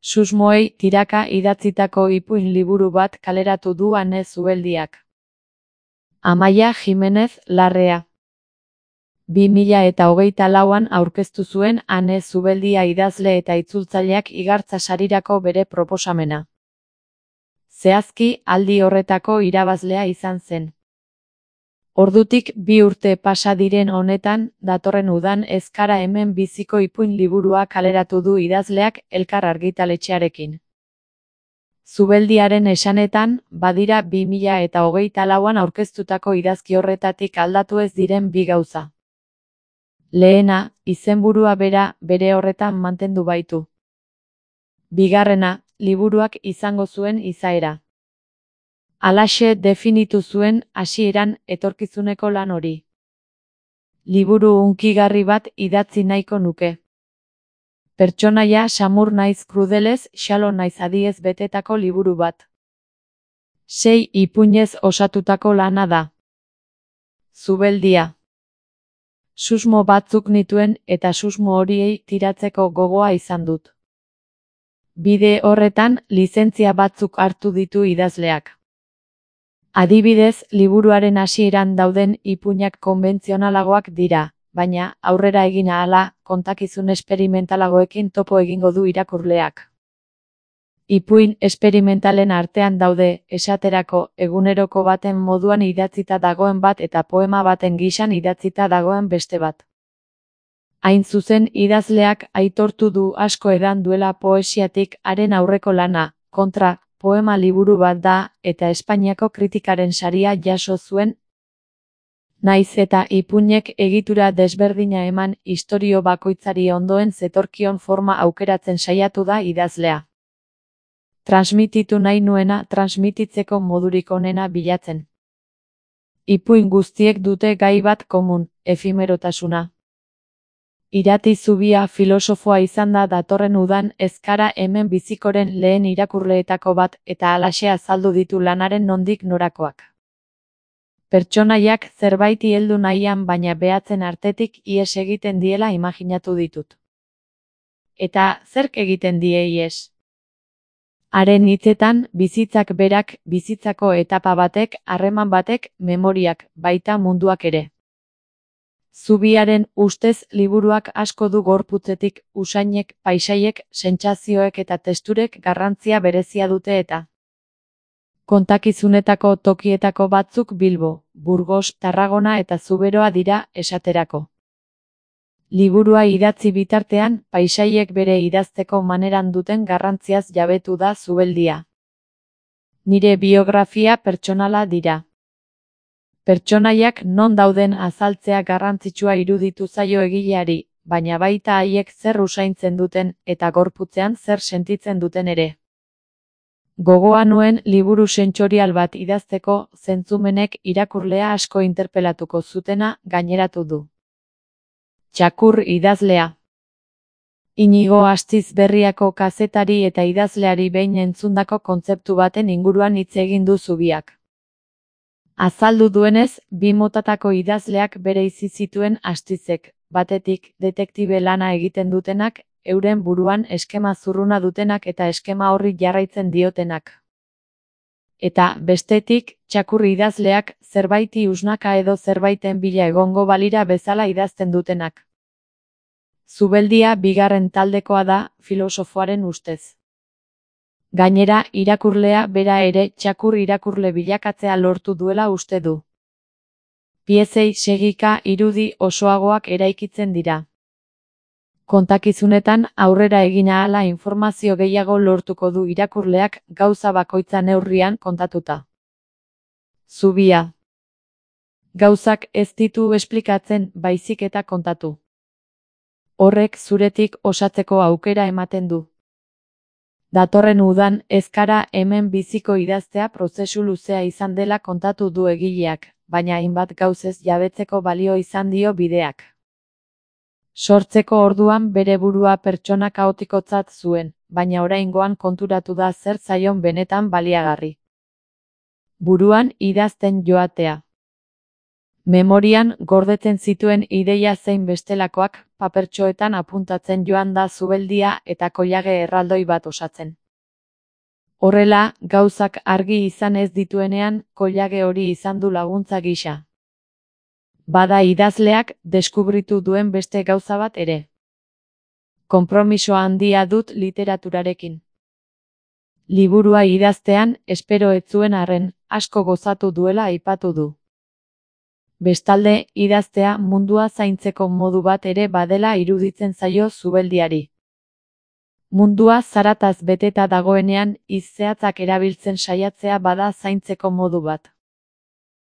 Susmoei tiraka idatzitako ipuin liburu bat kaleratu du Ane Zubeldiak. Amaia Jimenez Larrea. 2024an aurkeztu zuen Ane Zubeldia idazle eta itzultzaileak Igartza sarirako bere proposamena. Zehazki, aldi horretako irabazlea izan zen. Ordutik 2 urte pasa diren honetan, datorren udan Ezkara hemen biziko ipuin liburua kaleratu du idazleak Elkar argitaletxearekin. Zubeldiaren esanetan, badira 2024an aurkeztutako idazki horretatik aldatu ez diren 2 gauza. Lehena, izenburua bera bere horretan mantendu baitu. Bigarrena, liburuak izango zuen izaera. Halaxe definitu zuen hasieran etorkizuneko lan hori. Liburu hunkigarri bat idatzi nahiko nuke. Pertsonaia samur naiz krudelez, xalo naiz adiez betetako liburu bat. 6 ipuinez osatutako lana da. Zubeldia. Susmo batzuk nituen eta susmo horiei tiratzeko gogoa izan dut. Bide horretan, lizentzia batzuk hartu ditu idazleak. Adibidez, liburuaren hasieran dauden ipuinak konbentzionalagoak dira, baina, aurrera egin ahala, kontakizun esperimentalagoekin topo egingo du irakurleak. Ipuin esperimentalen artean daude, esaterako, eguneroko baten moduan idatzita dagoen bat eta poema baten gisan idatzita dagoen beste bat. Hain zuzen, idazleak aitortu du asko edan duela poesiatik haren aurreko lana, kontra, poema liburu bat da, eta Espainiako kritikaren saria jaso zuen. Naiz eta ipuinek egitura desberdina eman, istorio bakoitzari ondoen zetorkion forma aukeratzen saiatu da idazlea. Transmititu nahi nuena transmititzeko modurik onena bilatzen. Ipuin guztiek dute gai bat komun, efimerotasuna. Irati Zubia filosofoa izan da datorren udan Ezkara hemen bizikoren lehen irakurleetako bat eta halaxe azaldu ditu lanaren nondik norakoak. Pertsonaiak zerbaiti heldu nahian baina behatzen artetik ihes egiten diela imaginatu ditut. Eta zerk egiten die ihes? Haren hitzetan, bizitzak berak, bizitzako etapa batek, harreman batek, memoriak, baita munduak ere. Zubiaren ustez liburuak asko du gorputzetik, usainek, paisaiek, sentsazioek eta testurek garrantzia berezia dute eta. Kontakizunetako tokietako batzuk Bilbo, Burgos, Tarragona eta Zuberoa dira esaterako. Liburua idatzi bitartean, paisaiek bere idazteko maneran duten garrantziaz jabetu da Zubeldia. Nire biografia pertsonala dira. Pertsonaiak non dauden azaltzea garrantzitsua iruditu zaio egileari, baina baita haiek zer usaintzen duten eta gorputzean zer sentitzen duten ere. Gogoa nuen liburu sentsorial bat idazteko, zentzumenek irakurlea asko interpelatuko zutena gaineratu du. Txakur idazlea. Inigo Astizberriako kazetari eta idazleari behin entzundako kontzeptu baten inguruan hitz egin du Zubiak. Azaldu duenez, 2 motatako idazleak bereizi zituen Astizek, batetik, detektibe lana egiten dutenak, euren buruan eskema zurruna dutenak eta eskema horri jarraitzen diotenak. Eta, bestetik, txakur idazleak, zerbaiti usnaka edo zerbaiten bila egongo balira bezala idazten dutenak. Zubeldia bigarren taldekoa da, filosofoaren ustez. Gainera, irakurlea bera ere txakur irakurle bilakatzea lortu duela uste du. Piezei segika irudi osoagoak eraikitzen dira. Kontakizunetan aurrera egin ahala informazio gehiago lortuko du irakurleak gauza bakoitza neurrian kontatuta. Zubia. Gauzak ez ditu esplikatzen baizik eta kontatu. Horrek zuretik osatzeko aukera ematen du. Datorren udan Ezkara hemen biziko idaztea prozesu luzea izan dela kontatu du egileak, baina hainbat gauzez jabetzeko balio izan dio bideak. Sortzeko orduan bere burua pertsona kaotikotzat zuen, baina oraingoan konturatu da zer zaion benetan baliagarri. Buruan idazten joatea. Memorian gordetzen zituen ideia zein bestelakoak papertxoetan apuntatzen joan da zubeldia eta koilage erraldoi bat osatzen. Horrela, gauzak argi izan ez dituenean, koilage hori izan du laguntza gisa. Bada idazleak deskubritu duen beste gauza bat ere. Konpromiso handia dut literaturarekin. Liburua idaztean, espero ez zuen arren, asko gozatu duela aipatu du. Bestalde, idaztea mundua zaintzeko modu bat ere badela iruditzen zaio zubeldiari. Mundua zarataz beteta dagoenean, hitz zehatzak erabiltzen saiatzea bada zaintzeko modu bat.